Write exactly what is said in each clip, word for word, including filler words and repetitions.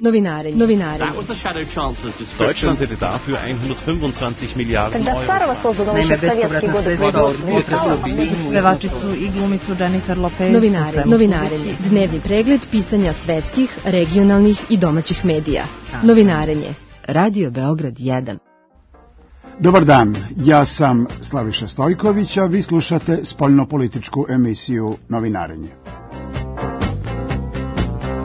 Novinarenje. Novinarenje. Deutschland hätte dafür hundertfünfundzwanzig Miliarden Euro. Naime, bespovratna sredstva od budžeta pevači su i glumicu Jennifer Lopez. Novinarenje. Novinarenje. Dnevni pregled pisanja svetskih, regionalnih i domaćih medija. Novinarenje. Radio Beograd jedan. Dobar dan, ja sam Slaviša Stojković, a vi slušate spoljnopolitičku emisiju Novinarenje.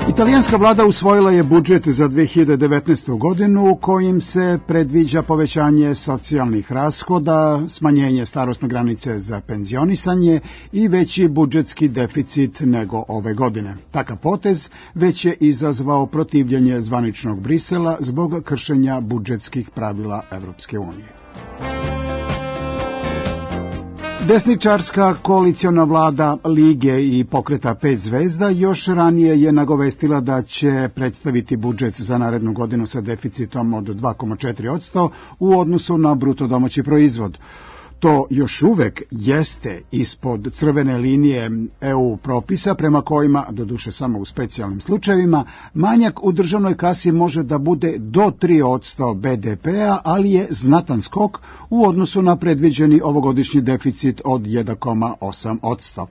Italijanska vlada usvojila je budžet za dve hiljade devetnaestu. godinu kojim se predviđa povećanje socijalnih rashoda, smanjenje starosne granice za penzionisanje i veći budžetski deficit nego ove godine. Takav potez već je izazvao protivljenje zvaničnog Brisela zbog kršenja budžetskih pravila Evropske unije. Desničarska koaliciona vlada Lige i Pokreta pet zvezda još ranije je nagovestila da će predstaviti budžet za narednu godinu sa deficitom od dva zarez četiri posto u odnosu na bruto domaći proizvod. To još uvek jeste ispod crvene linije E U propisa prema kojima, doduše samo u specijalnim slučajevima, manjak u državnoj kasi može da bude do tri posto B D P-a, ali je znatan skok u odnosu na predviđeni ovogodišnji deficit od jedan zarez osam posto.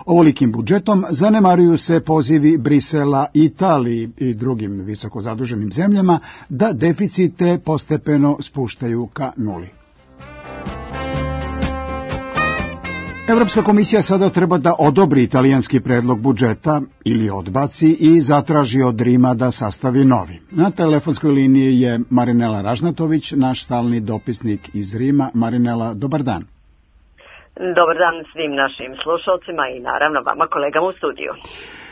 Ovolikim budžetom zanemaruju se pozivi Brisela, Italiji i drugim visoko zaduženim zemljama da deficite postepeno spuštaju ka nuli. Evropska komisija sada treba da odobri italijanski predlog budžeta ili odbaci i zatraži od Rima da sastavi novi. Na telefonskoj liniji je Marinela Ražnatović, naš stalni dopisnik iz Rima. Marinela, dobar dan. Dobar dan svim našim slušalcima i naravno vama kolegama u studiju.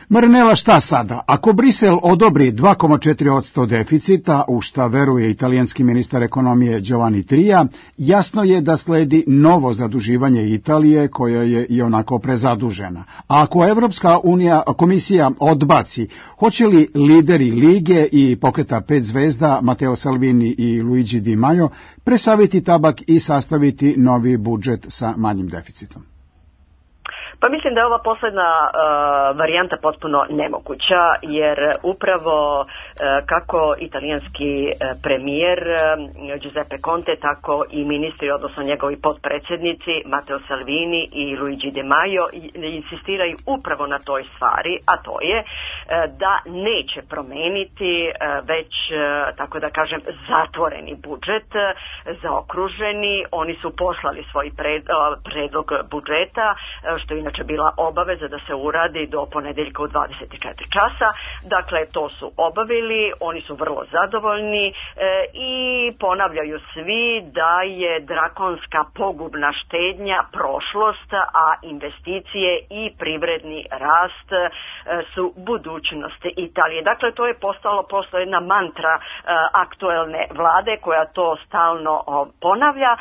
Marinela, šta sada? Ako Brisel odobri dva zarez četiri posto deficita, u šta veruje italijanski ministar ekonomije Giovanni Tria, jasno je da sledi novo zaduživanje Italije koja je i onako prezadužena. A ako Evropska unija, komisija odbaci, hoće li lideri Lige i Pokreta pet zvezda Matteo Salvini i Luigi Di Maio presaviti tabak i sastaviti novi budžet sa manjim deficitom? Pa mislim da je ova posledna uh, varijanta potpuno nemoguća, jer upravo uh, kako italijanski uh, premijer uh, Giuseppe Conte, tako i ministri, odnosno njegovi potpredsjednici Matteo Salvini i Luigi Di Maio insistiraju upravo na toj stvari, a to je uh, da neće promeniti uh, već, uh, tako da kažem, zatvoreni budžet, uh, zaokruženi. Oni su poslali svoj pred, uh, predlog budžeta, uh, što je inače bila obaveza da se uradi do ponedeljka u dvadeset četiri časa. Dakle, to su obavili, oni su vrlo zadovoljni e, i ponavljaju svi da je drakonska pogubna štednja prošlost, a investicije i privredni rast e, su budućnost Italije. Dakle, to je postalo postalo jedna mantra e, aktuelne vlade koja to stalno o, ponavlja. E,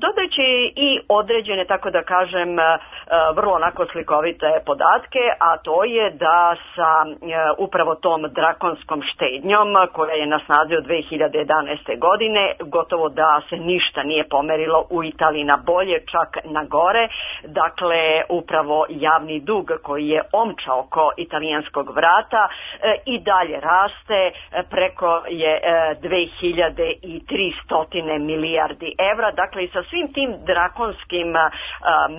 dodajući i određene, tako da kažem, e, vrlo onako slikovite podatke, a to je da sa e, upravo tom drakonskom štednjom koja je na snazi od dve hiljade jedanaeste. godine, gotovo da se ništa nije pomerilo u Italiji na bolje, čak na gore. Dakle, upravo javni dug koji je omčao oko italijanskog vrata e, i dalje raste, e, preko je e, dve hiljade tristo milijardi evra. Dakle, i sa svim tim drakonskim a,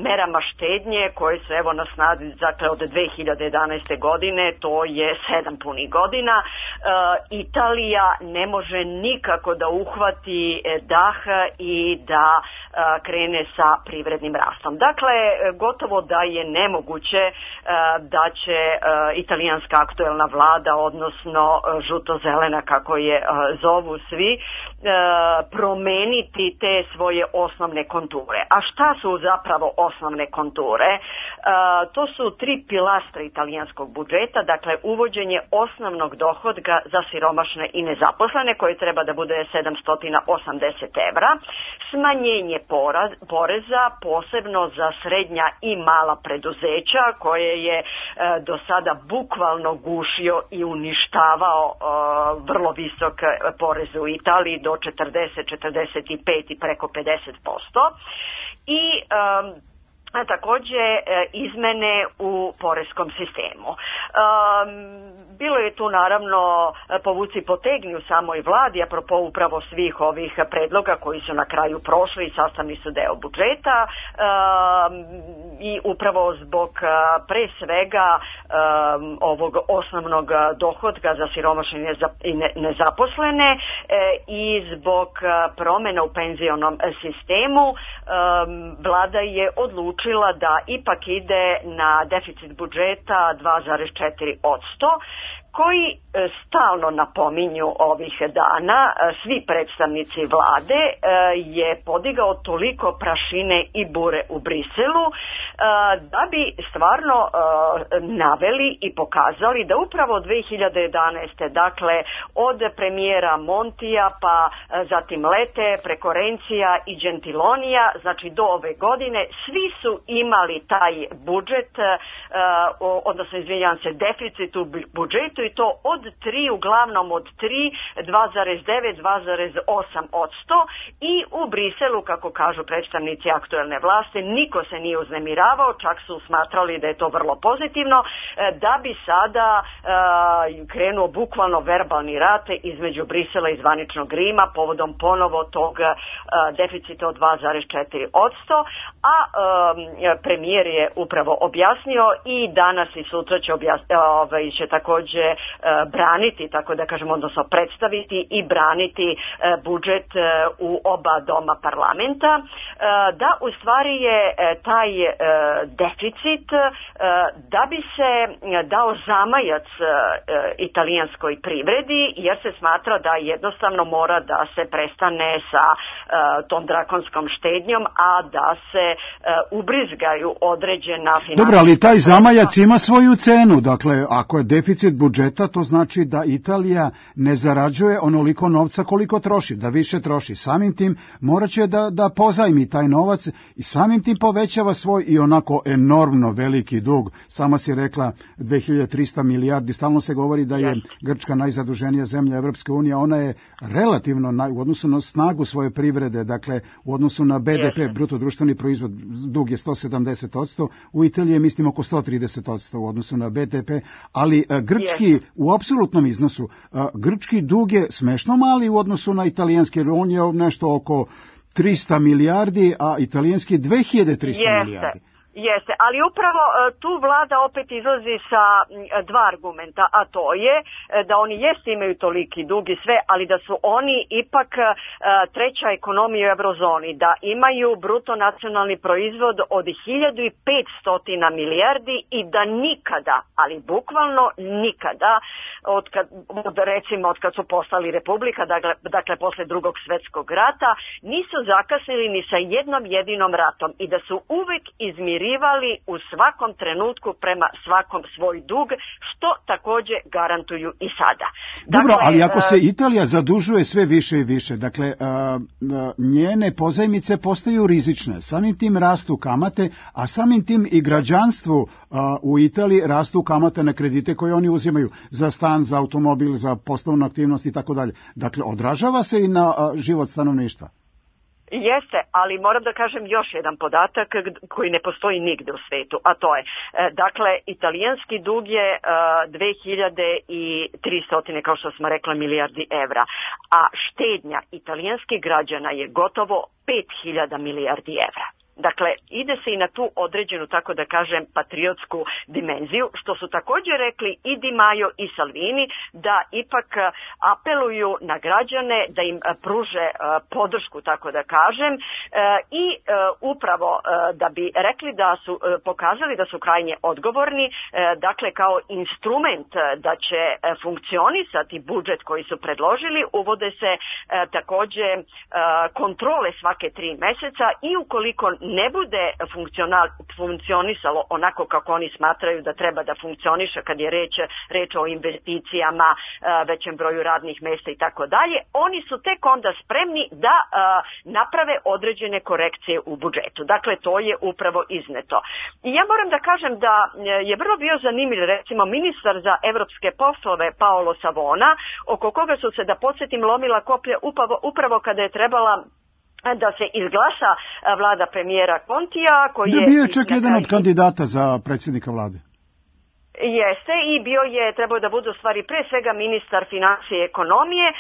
merama štednje koje su evo na snazi, dakle, od dve hiljade jedanaeste. godine, to je sedam punih godina, e, Italija ne može nikako da uhvati dah i da e, krene sa privrednim rastom. Dakle, gotovo da je nemoguće e, da će e, italijanska aktuelna vlada, odnosno e, žuto-zelena kako je e, zovu svi, e, promeniti te svoje osnovne konture. A šta su zapravo osnovne konture? E, to su tri pilastra italijanskog budžeta, dakle uvođenje osnovnog dohodka za siromašne i nezaposlene koje treba da bude sedamsto osamdeset evra, smanjenje poraz, poreza posebno za srednja i mala preduzeća koje je e, do sada bukvalno gušio i uništavao e, vrlo visok porez u Italiji do četrdeset, četrdeset pet i preko pedeset posto. I e, takođe izmene u poreskom sistemu. Bilo je tu naravno povuci potegni u samoj vladi, apropo upravo svih ovih predloga koji su na kraju prošli i sastavni su deo budžeta i upravo zbog pre svega ovog osnovnog dohodka za siromašne i nezaposlene i zbog promena u penzionom sistemu vlada je odlučila da ipak ide na deficit budžeta dva zarez četiri posto, koji stalno napominju ovih dana, svi predstavnici vlade, je podigao toliko prašine i bure u Briselu da bi stvarno naveli i pokazali da upravo dve hiljade jedanaeste. dakle od premijera Montija pa zatim Lete, preko Rencija i Gentilonija, znači do ove godine, svi su imali taj budžet, odnosno izvinjavam se, deficit u budžetu i to od tri, uglavnom od tri, dva zarez devet, dva zarez osam posto i u Briselu, kako kažu predstavnici aktuelne vlasti, niko se nije uznemiravao, čak su smatrali da je to vrlo pozitivno, da bi sada uh, krenuo bukvalno verbalni rat između Brisela i zvaničnog Rima povodom ponovo tog uh, deficita od dva zarez četiri posto, a uh, premijer je upravo objasnio i danas i sutra će, objasni, ovaj, će takođe braniti, tako da kažemo, odnosno predstaviti i braniti budžet u oba doma parlamenta, da u stvari je taj deficit da bi se dao zamajac italijanskoj privredi, jer se smatra da jednostavno mora da se prestane sa tom drakonskom štednjom, a da se ubrizgaju određena finansijska... Dobro, ali taj zamajac ima svoju cenu, dakle, ako je deficit budžeta, to znači da Italija ne zarađuje onoliko novca koliko troši, da više troši. Samim tim morat će da, da pozajmi taj novac i samim tim povećava svoj i onako enormno veliki dug. Sama si rekla dve hiljade trista milijardi, stalno se govori da je Grčka najzaduženija zemlja Evropske unije, ona je relativno naj, u odnosu na snagu svoje privrede, dakle u odnosu na B D P, bruto društveni proizvod, dug je sto sedamdeset posto, u Italiji je mislim oko sto trideset posto u odnosu na B D P, ali grčki u apsolutnom iznosu, grčki dug je smešno mali u odnosu na italijanski, jer on je nešto oko trista milijardi, a italijanski dve hiljade trista milijardi. Jeste, ali upravo tu vlada opet izlazi sa dva argumenta, a to je da oni jeste imaju toliki dug i sve, ali da su oni ipak treća ekonomija u eurozoni, da imaju bruto nacionalni proizvod od hiljadu petsto milijardi i da nikada, ali bukvalno nikada, od kad, od, recimo od kad su postali republika, dakle, dakle posle drugog svetskog rata, nisu zakasnili ni sa jednom jedinom ratom i da su uvek izmirili u svakom trenutku prema svakom svoj dug, što takođe garantuju i sada. Dobro, dakle, ali ako se Italija zadužuje sve više i više, dakle, njene pozajmice postaju rizične, samim tim rastu kamate, a samim tim i građanstvu u Italiji rastu kamate na kredite koje oni uzimaju za stan, za automobil, za poslovnu aktivnost i tako dalje. Dakle, odražava se i na život stanovništva. Jeste, ali moram da kažem još jedan podatak koji ne postoji nigde u svetu, a to je, dakle, italijanski dug je dve hiljade tristo, kao što smo rekla, milijardi evra, a štednja italijanskih građana je gotovo pet hiljada milijardi evra. Dakle, ide se i na tu određenu, tako da kažem, patriotsku dimenziju, što su također rekli i Di Maio i Salvini, da ipak apeluju na građane da im pruže podršku, tako da kažem, i upravo da bi rekli da su pokazali da su krajnje odgovorni, dakle kao instrument da će funkcionisati budžet koji su predložili, uvode se također kontrole svake tri meseca i ukoliko ne bude funkcionisalo onako kako oni smatraju da treba da funkcioniše kad je reč, reč o investicijama, većem broju radnih mesta i tako dalje, oni su tek onda spremni da naprave određene korekcije u budžetu. Dakle, to je upravo izneto. I ja moram da kažem da je vrlo bio zanimljiv, recimo, ministar za evropske poslove Paolo Savona, oko koga su se, da podsjetim, lomila koplja upravo, upravo kada je trebala da se izglasa vlada premijera Kontija, koji da, je... bio je čak jedan od kandidata za predsjednika vlade. Jeste, i bio je, trebao da bude u stvari pre svega ministar financije i ekonomije, uh,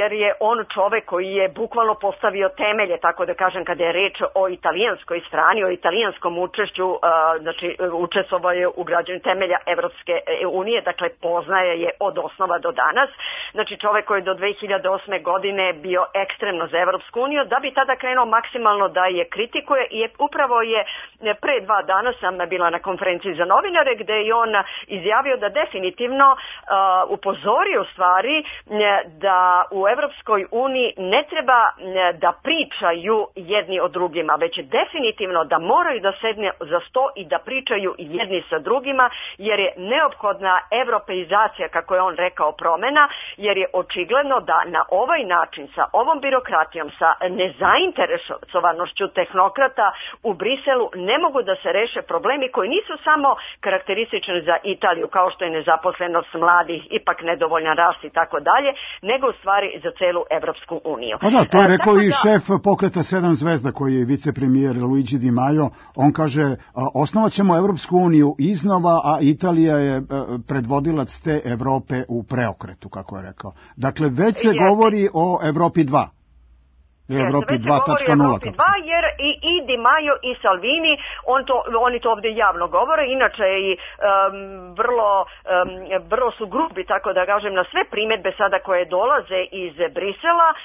jer je on čovek koji je bukvalno postavio temelje, tako da kažem, kada je reč o italijanskoj strani, o italijanskom učešću, uh, znači učestvovao je u građenju temelja Evropske unije, dakle poznaje je od osnova do danas. Znači čovek koji je do dve hiljade osme godine bio ekstremno za Evropsku uniju, da bi tada krenuo maksimalno da je kritikuje, i je, upravo je pre dva dana sam bila na konferenciji za novinare, gde je on izjavio da definitivno uh, upozorio u stvari da u Evropskoj uniji ne treba da pričaju jedni o drugima, već definitivno da moraju da sedne za sto i da pričaju jedni sa drugima, jer je neophodna evropeizacija, kako je on rekao, promena, jer je očigledno da na ovaj način, sa ovom birokratijom, sa nezainteresovanošću tehnokrata u Briselu ne mogu da se reše problemi koji nisu samo karakteristični za Italiju, kao što je nezaposlenost mladih, ipak nedovoljan rast i tako dalje, nego u stvari za celu Evropsku uniju. Pa da, to je rekao e, i da... šef pokreta Sedam zvezda, koji je vicepremijer Luigi Di Maio. On kaže, osnovat ćemo Evropsku uniju iznova, a Italija je predvodilac te Evrope u preokretu, kako je rekao. Dakle, već se je. govori o Evropi dva. Evropi dva tačka nula. Jer i, i Di Maio i Salvini, on to, oni to ovdje javno govore, inače i um, vrlo, um, vrlo su grubi, tako da kažem, na sve primjedbe sada koje dolaze iz Brisela, uh,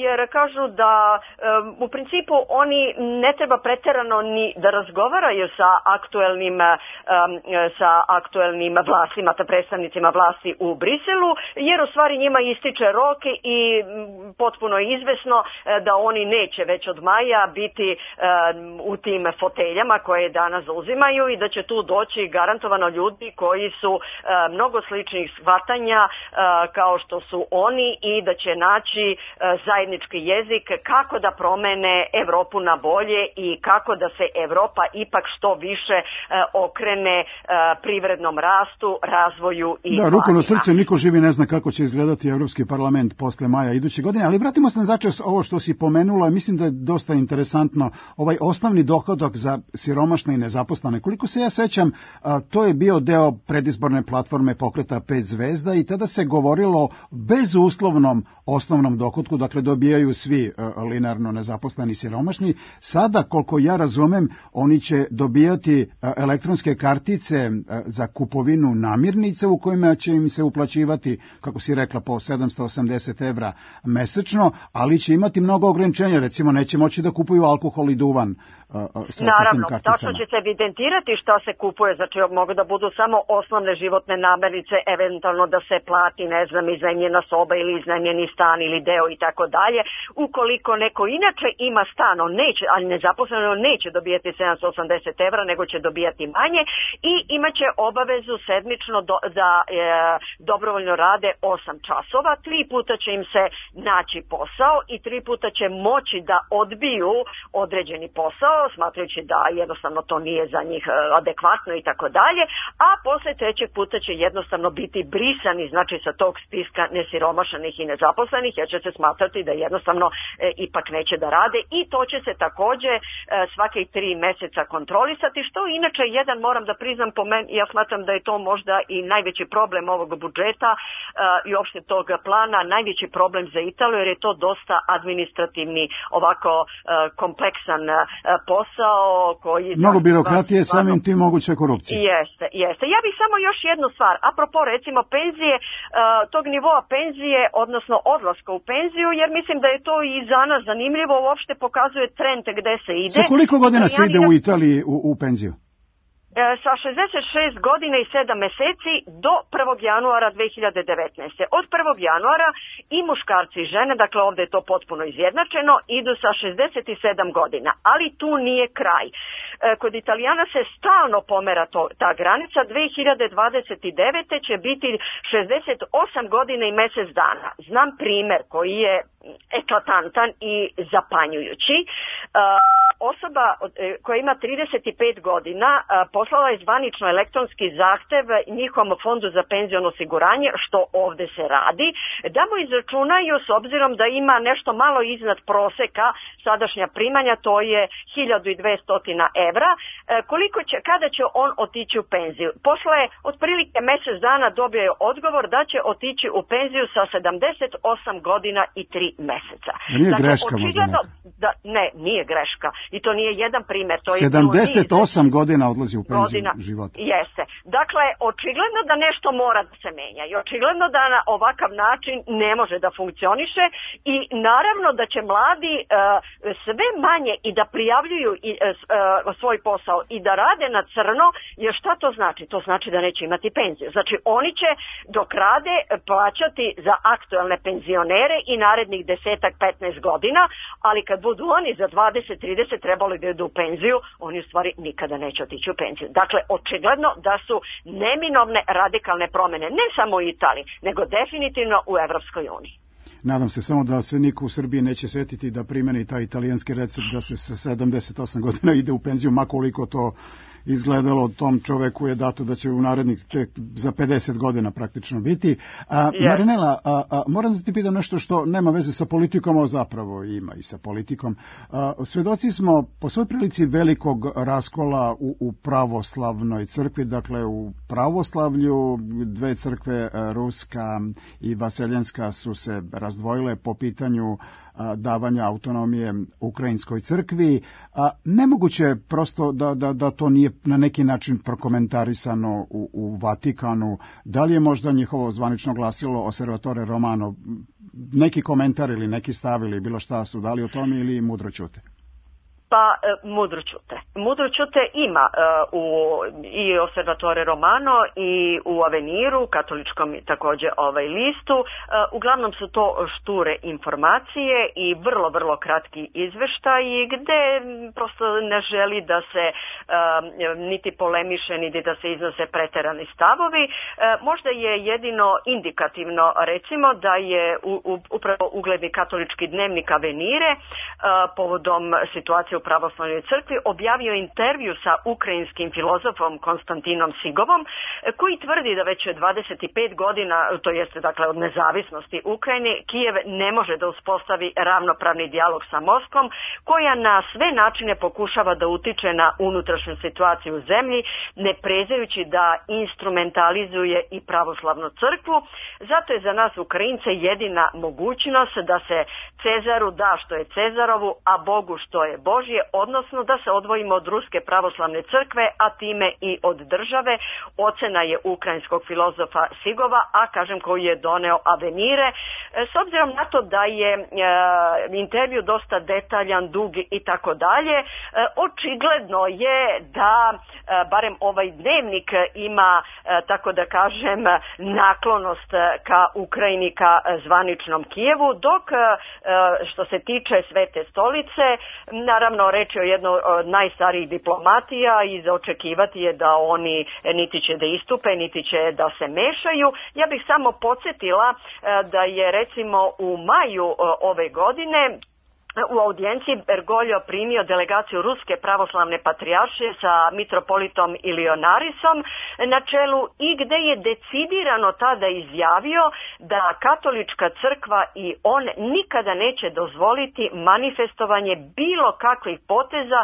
jer kažu da um, u principu oni ne treba preterano ni da razgovaraju sa aktuelnim, um, sa aktuelnim vlastima, ta predstavnicima vlasti u Briselu, jer u stvari njima ističe rok i um, potpuno je izvesno da oni neće već od maja biti um, u tim foteljama koje danas zauzimaju i da će tu doći garantovano ljudi koji su uh, mnogo sličnih shvatanja uh, kao što su oni i da će naći uh, zajednički jezik kako da promene Evropu na bolje i kako da se Evropa ipak što više uh, okrene uh, privrednom rastu, razvoju i da, ruku na srce, niko živi ne zna kako će izgledati Evropski parlament posle maja iduće godine, ali vratimo se na začas ovo što si pomenula, mislim da je dosta interesantno, ovaj osnovni dohodak za siromašne i nezaposlene. Koliko se ja sećam, to je bio deo predizborne platforme pokreta Pet zvezda i tada se govorilo bezuslovnom osnovnom dohodku, dakle dobijaju svi linearno nezaposleni siromašni. Sada, koliko ja razumem, oni će dobijati elektronske kartice za kupovinu namirnica u kojima će im se uplaćivati, kako si rekla, po sedamsto osamdeset evra mesečno, ali će imati mnogo ograničenja, recimo neće moći da kupuju alkohol i duvan uh, sa, Naravno, sa tim tačno će se evidentirati šta se kupuje, znači mogu da budu samo osnovne životne namirnice, eventualno da se plati, ne znam, iznajmljena soba ili iznajmljeni stan ili deo i tako dalje. Ukoliko neko inače ima stan, on neće, ali nezaposleno neće dobijati sedamsto osamdeset evra, nego će dobijati manje i imaće obavezu sedmično do, da e, dobrovoljno rade osam časova, tri puta će im se naći posao i tri puta će moći da odbiju određeni posao, smatrajući da jednostavno to nije za njih adekvatno i tako dalje, a posle trećeg puta će jednostavno biti brisani, znači sa tog spiska nesiromašenih i nezaposlenih, jer će se smatrati da jednostavno e, ipak neće da rade i to će se takođe e, svake tri meseca kontrolisati, što inače jedan, moram da priznam, po meni, ja smatram da je to možda i najveći problem ovog budžeta e, i uopšte tog plana, najveći problem za Italiju, jer je to dosta administrativni, ovako uh, kompleksan uh, posao koji... Mnogo birokratije, samim tim moguće korupcije. Jeste, jeste. Ja bih samo još jednu stvar, apropo recimo penzije, uh, tog nivoa penzije, odnosno odlaska u penziju, jer mislim da je to i za nas zanimljivo, uopšte pokazuje trend gde se ide. Sa koliko godina se ide u Italiji u, u penziju? Sa šezdeset šest godina i sedam meseci do prvog januara dve hiljade devetnaeste. Od prvog januara i muškarci i žene, dakle ovdje je to potpuno izjednačeno, idu sa šezdeset sedam godina, ali tu nije kraj. Kod Italijana se stalno pomera to, ta granica, dve hiljade dvadeset devete će biti šezdeset osam godina i mesec dana. Znam primer koji je eklatantan i zapanjujući. Osoba koja ima trideset pet godina poslala je zvanično elektronski zahtev njihovom fondu za penziono osiguranje, što ovde se radi, da mu izračunaju, s obzirom da ima nešto malo iznad proseka sadašnja primanja, to je hiljadu dvesta evra, koliko će, kada će on otići u penziju. Posle otprilike mesec dana dobio je odgovor da će otići u penziju sa sedamdeset osam godina i tri meseca. Nije dakle, greška možda neka. Da, ne, nije greška. I to nije jedan primer. To je sedamdeset osam godina odlazi u penziju godina, života. Jeste. Dakle, očigledno da nešto mora da se menja i očigledno da na ovakav način ne može da funkcioniše i naravno da će mladi uh, sve manje i da prijavljuju i, uh, svoj posao i da rade na crno, jer šta to znači? To znači da neće imati penziju. Znači, oni će dok rade plaćati za aktuelne penzionere i narednih desetak, petnaest godina, ali kad budu oni za dvadeset, trideset trebali da idu u penziju, oni u stvari nikada neće otići u penziju. Dakle, očigledno da su neminovne radikalne promene, ne samo u Italiji, nego definitivno u Evropskoj uniji. Nadam se samo da se niko u Srbiji neće setiti da primeni taj italijanski recept da se sa sedamdeset osam godina ide u penziju, ma koliko to izgledalo tom čoveku je dato da će u narednih tek za pedeset godina praktično biti. A, yes. Marinela, a, a, moram da ti pitam nešto što nema veze sa politikom, a zapravo ima i sa politikom. A, svedoci smo po svoj prilici velikog raskola u, u pravoslavnoj crkvi, dakle u pravoslavlju dve crkve, ruska i vaseljenska, su se razdvojile po pitanju davanja autonomije ukrajinskoj crkvi. A nemoguće je prosto da, da, da to nije na neki način prokomentarisano u, u Vatikanu. Da li je možda njihovo zvanično glasilo Osservatore Romano neki komentar ili neki stav ili bilo šta su dali o tome ili mudro ćute? Pa e, mudro ćute. Mudro ćute ima e, u i Osservatore Romano i u Aveniru, katoličkom takođe ovaj listu. E, uglavnom su to šture informacije i vrlo, vrlo kratki izveštaji gde prosto ne želi da se e, niti polemiše, niti da se iznose preterani stavovi. E, možda je jedino indikativno, recimo, da je u, u, upravo ugledni katolički dnevnik Avenire e, povodom situacije u pravoslavnoj crkvi objavio intervju sa ukrajinskim filozofom Konstantinom Sigovom, koji tvrdi da već dvadeset pet godina, to jeste dakle od nezavisnosti Ukrajine, Kijev ne može da uspostavi ravnopravni dijalog sa Moskvom, koja na sve načine pokušava da utiče na unutrašnju situaciju u zemlji, ne prezajući da instrumentalizuje i pravoslavnu crkvu. Zato je za nas Ukrajince jedina mogućnost da se Cezaru da što je Cezarovu, a Bogu što je Božje, odnosno da se odvojimo od Ruske pravoslavne crkve, a time i od države. Ocena je ukrajinskog filozofa Sigova, a kažem koji je doneo Avenire. S obzirom na to da je e, intervju dosta detaljan, dug i tako dalje, očigledno je da e, barem ovaj dnevnik ima, e, tako da kažem, naklonost ka Ukrajini, ka zvaničnom Kijevu, dok e, što se tiče Svete stolice, naravno reč je o jednoj od najstarijih diplomatija i za očekivati je da oni niti će da istupe, niti će da se mešaju. Ja bih samo podsjetila da je recimo u maju ove godine u audijenciji Bergoglio primio delegaciju Ruske pravoslavne patrijaršije sa mitropolitom Ilionarisom na čelu i gde je decidirano tada izjavio da katolička crkva i on nikada neće dozvoliti manifestovanje bilo kakvih poteza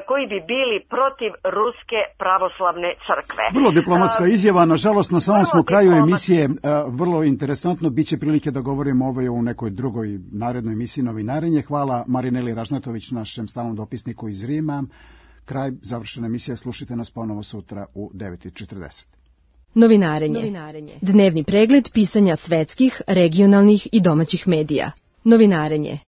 koji bi bili protiv Ruske pravoslavne crkve. Vrlo diplomatska izjava, nažalost na samom smo kraju emisije, vrlo interesantno, bit će prilike da govorimo ovo u nekoj drugoj narednoj emisiji Novinarenje. Hvala Hvala Marineli Ražnatović, našem stalnom dopisniku iz Rima. Kraj, završena emisija, slušajte nas ponovo sutra u devet i četrdeset. Novinarenje. Novinarenje. Dnevni pregled pisanja svetskih, regionalnih i domaćih medija. Novinarenje.